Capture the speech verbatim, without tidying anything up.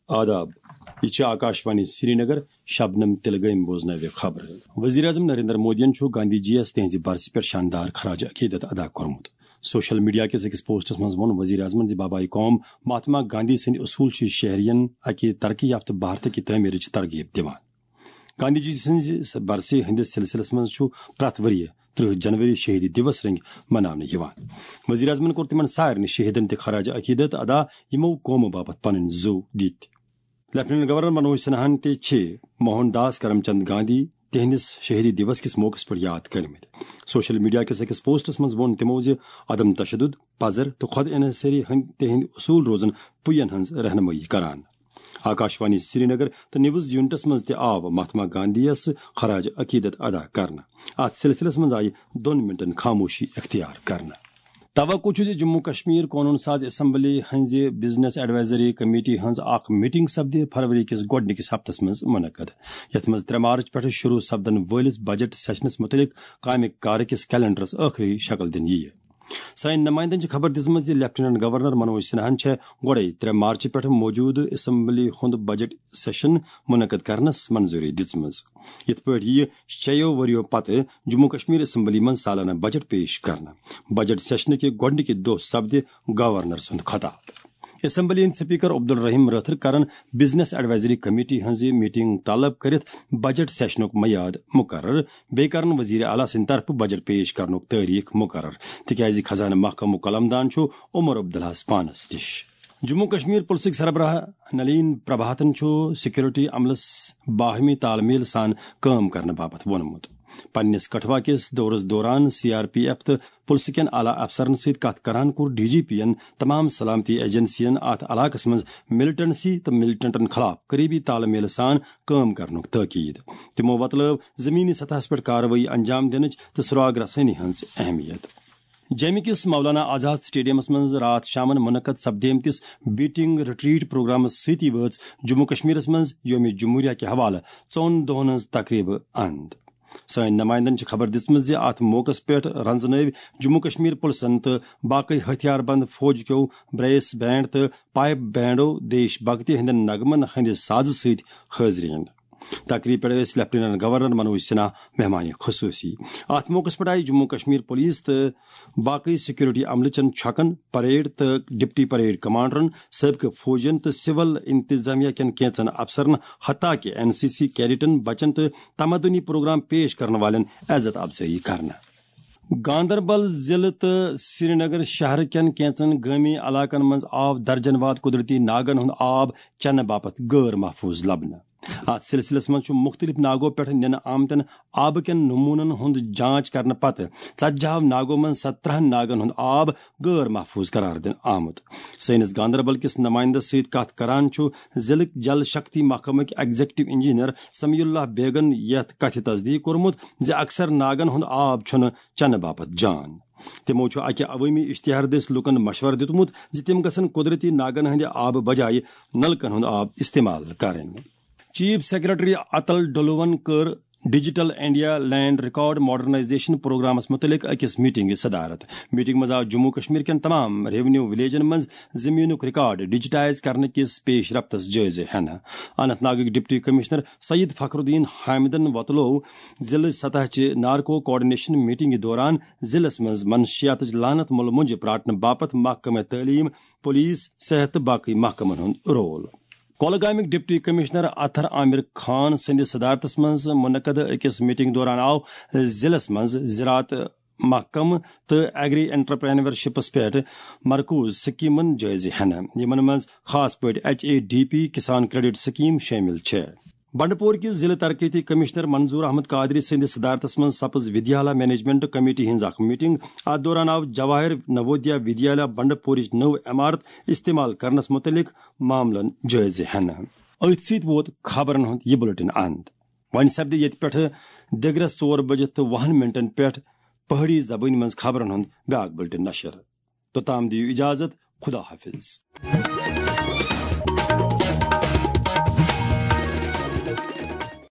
آداب، یہِ چھِ آکاشوانی سرینگر۔ شبنم تلگٲمۍ بوزنٲوِ خبرٕ۔ وزیر اعظم نریندر مودیَن چھُ گاندھی جی یَس تِہنٛزِ برسہِ پٮ۪ٹھ شاندار خراج عقیدت ادا کوٚرمُت۔ سوشل میڈیا کِس أکِس پوسٹس منٛز ووٚن وزیر اعظمن زِ بابائے قوم مہاتما گاندھی سٕنٛدۍ اصوٗل چھِ شہریَن اکہِ ترقی یافتہٕ بھارتٕکہِ تعمیرٕچ ترغیب دِوان۔ گاندھی جی سٕنٛزِ برسہِ ہٕنٛدِس سلسلس منٛز چھُ پرٛٮ۪تھ ؤرۍ یہِ ترٕہ جنوری شہیدی دیوس رنگۍ مناونہٕ یِوان۔ وزیر اعظمن کوٚر تِمن سارنٕے شہیدن تہِ خراج عقیدت ادا، یِمو قومہٕ باپتھ پنٕنۍ زُو دِتۍ۔ لیفٹیننٹ گورنر منوج سنہاہن تہِ چھِ موہن داس کرم چند گاندھی تِہنٛدِس شہیدی دیوس کِس موقعس پٮ۪ٹھ یاد کٔرمٕتۍ۔ سوشل میڈیا کِس أکِس پوسٹس منٛز ووٚن تِمو زِ عدم تشدد، پزر تہٕ خود انحصٲری ہٕنٛدۍ تِہنٛدۍ اصوٗل روزن پُیَن ہٕنٛز رہنمٲیی کران۔ آکاشوانی سرینگر تہٕ نیوز یونٹس منٛز تہِ آو مہاتما گاندھی یَس خراج عقیدت ادا کرنہٕ۔ اتھ سلسلس منٛز آیہِ دۄن منٹن خاموشی اختیار کرنہٕ۔ توقع چھُ زِ جموں کشمیر قونوٗن ساز اسمبلی ہٕنٛزِ بزنس ایڈوائزری کمیٹی ہٕنٛز اکھ میٹنگ سپدِ فروری کِس گۄڈٕنِکِس ہفتس منٛز منعقد، یتھ منٛز ترٛےٚ مارچ پٮ۪ٹھٕ شروع سپدن وٲلِس بجٹ سیشنس مُتعلق کامہِ کارٕ کِس کیلنڈرس ٲخری شکل دِنہٕ یِیہِ۔ سٲنۍ نمائندن چھِ خبر دِژمٕژ زِ لیفٹیننٹ گورنر منوج سنہاہن چھےٚ گۄڈے ترٛےٚ مارچ پٮ۪ٹھٕ موجودٕ اسمبلی ہُنٛد بجٹ سیشن منعقد کرنس منظوری دِژمٕژ۔ یِتھ پٲٹھۍ یِیہِ شیٚیو ؤرِیو پتہٕ جموں کشمیر اسمبلی منٛز سالانہٕ بجٹ پیش کرنہٕ۔ بجٹ سیشنہٕ کہِ گۄڈٕنِکہِ دۄہ سپدِ گورنر سُنٛد خطاب۔ اسمبلی ہٕنٛدۍ سپیکر عبدالرحیم رٲتھر کرن بزنس ایڈوائزری کمیٹی ہٕنٛز میٹنگ طلب کٔرِتھ بجٹ سیشنُک میعاد مقرر۔ بیٚیہِ کرن وزیر اعلیٰ سٕنٛدِ طرفہٕ بجٹ پیش کرنُک تٲریخ مقرر، تِکیازِ خزانہٕ محکمُک قلمدان چھُ عمر عبداللہس پانس نِش۔ جموں کشمیر پُلسٕکۍ سربراہ نلین پربھاتن چھُ سیکورٹی عملس باہمی تال میل سان کٲم کرنہٕ باپتھ ووٚنمُت۔ پننِس کٹھوا کِس دورس دوران سی آر پی ایف تہٕ پُلسہٕ کٮ۪ن اعلیٰ افسرن سۭتۍ کتھ کران کوٚر ڈی جی پی ین تمام سلامتی ایجنسین اتھ علاقس منٛز ملٹنسی تہٕ ملٹنٹن خلاف قریبی تال میل سان کٲم کرنُک تاکید۔ تِمو وۄتلٲو زمینی سطحس پٮ۪ٹھ کاروٲیی انجام دِنٕچ تہٕ سراغ رسٲنی ہٕنٛز اہمیت۔ جیٚمہِ کِس مولانا آزاد سٹیڈیمس منٛز راتھ شامن منعقد سپدیمتِس بیٹنگ ریٹریٹ پروگرامس سۭتی وٲژ جموں کشمیرس منٛز یوم جمہوریہ کہِ حوالہٕ ژۄن دۄہن ہٕنٛز تقریبہٕ اند۔ سٲنۍ نمائندن چھِ خبر دِژمٕژ زِ اتھ موقعس پٮ۪ٹھ رنزنٲوۍ جموں کشمیر پُلسن تہٕ باقٕے ہتھیار بند فوج کیو بریس بینڈ تہٕ پائپ بینڈو دیش بھکتی ہٕنٛدٮ۪ن نغمن ہٕنٛدِ سازٕ سۭتۍ حٲضری۔ تقریب پٮ۪ٹھ ٲسۍ لیفٹیننٹ گورنر منوج سنہا مہمان خصوصی۔ اتھ موقعس پٮ۪ٹھ آیہِ جموں کشمیر پولیس تہٕ باقٕے سیکورٹی عملہٕ چٮ۪ن چھۄکن، پریڈ تہٕ ڈپٹی پریڈ کمانڈرن، سٲبقہٕ فوجین تہٕ سول انتظامیہ کٮ۪ن کینژن افسرن، حتیٰ کہِ این سی سی کیڈٹن، بچن تہٕ تمدنی پروگرام پیش کرن والٮ۪ن عزت افزٲیی کرنہٕ۔ گاندربل ضلعہٕ تہٕ سرینگر شہر کٮ۪ن کینژن گٲمی علاقن منٛز آو درجن واد قدرتی ناگن ہُنٛد آب چنہٕ باپتھ غٲر محفوظ لبنہٕ۔ اتھ سلسلس منٛز چھُ مُختٔلِف ناگو پٮ۪ٹھ نِنہٕ آمتٮ۪ن آبہٕ کٮ۪ن نموٗنن ہُنٛد جانچ کرنہٕ پتہٕ ژتجی ہو ناگو منٛز سترہن ناگن ہُنٛد آب غٲر محفوظ قرار دِنہٕ آمُت۔ سٲنِس گاندربل کِس نمائندس سۭتۍ کتھ کران چھُ ضلعٕکۍ جل شکتی محکمٕکۍ ایگزیکٹو انجینئر سمیع اللہ بیگن یتھ کتھِ تصدیق کوٚرمُت زِ اکثر ناگن ہُنٛد آب چھُنہٕ چنہٕ باپتھ جان۔ تِمو چھُ اکہِ عوٲمی اشتہار دٔسۍ لوٗکن مشورٕ دیُتمُت زِ تِم گژھن قدرتی ناگن ہٕنٛدِ آبہٕ بجایہِ نلکن ہُنٛد آب استعمال کرٕنۍ۔ چیف سیکرٹری اتل ڈولون کٔر digital India land record modernisation پروگرامس متعلق أکِس میٹنگہِ صدارت۔ میٹنگ منٛز آو جموں کشمیر کٮ۪ن تمام ریونیو ولیجن منٛز زمینُک ریکارڈ ڈیجیٹائز کرنہٕ کِس پیش رفتس جٲیزٕ ہٮ۪نہٕ۔ اننت ناگٕکۍ ڈپٹی کمشنر سید فخر الدین حامدن وۄتلوو ضلعہٕ سطح چہِ نارکو کوآرڈینیشن میٹنگہِ دوران ضلعس منٛز منشیاتٕچ لعنت مُلہٕ مۄنجہِ پراٹنہٕ باپتھ محکمہٕ تعلیٖم، پولیس، صحت تہٕ باقٕے محکمن ہُنٛد رول۔ کۄلگامیُک ڈپٹی کمشنر اطہر عامر خان سٕنٛدِ صدارتس منٛز منعقد أکِس میٹنگ دوران آو ضلعس منٛز زراعت محکمہٕ تہٕ ایگری انٹرپرینورشپس پٮ۪ٹھ مرکوز سکیمن جٲیزٕ ہٮ۪نہٕ، یِمن منٛز خاص پٲٹھۍ ایچ اے ڈی پی، کسان کریڈٹ سکیم شٲمِل چھےٚ۔ بنڈپور کِس ضلع ترقیتی کمشنر منظور احمد قادری سٕنٛدِ صدارتس منٛز سپٕز ودیالا مینجمنٹ کمیٹی ہٕنٛز اکھ میٹنگ۔ اتھ دوران آو جواہر نوودیا ودیالا بنڈپورٕچ نٔو عمارت استعمال کرنس متعلق معاملن جٲیزٕ ہٮ۪نہٕ۔ أتھۍ سۭتۍ ووت خبرن ہُنٛد یہِ بُلٹن اند۔ وۄنۍ سپدِ ییٚتہِ پٮ۪ٹھٕ دِگرس ژور بجہِ تہٕ وُہن منٹن پٮ۪ٹھ پہٲڑی زبٲنۍ منٛز خبرن ہُنٛد بیاکھ بُلٹن نشر۔ توٚتام دِیِو اجازت، خدا حافظ۔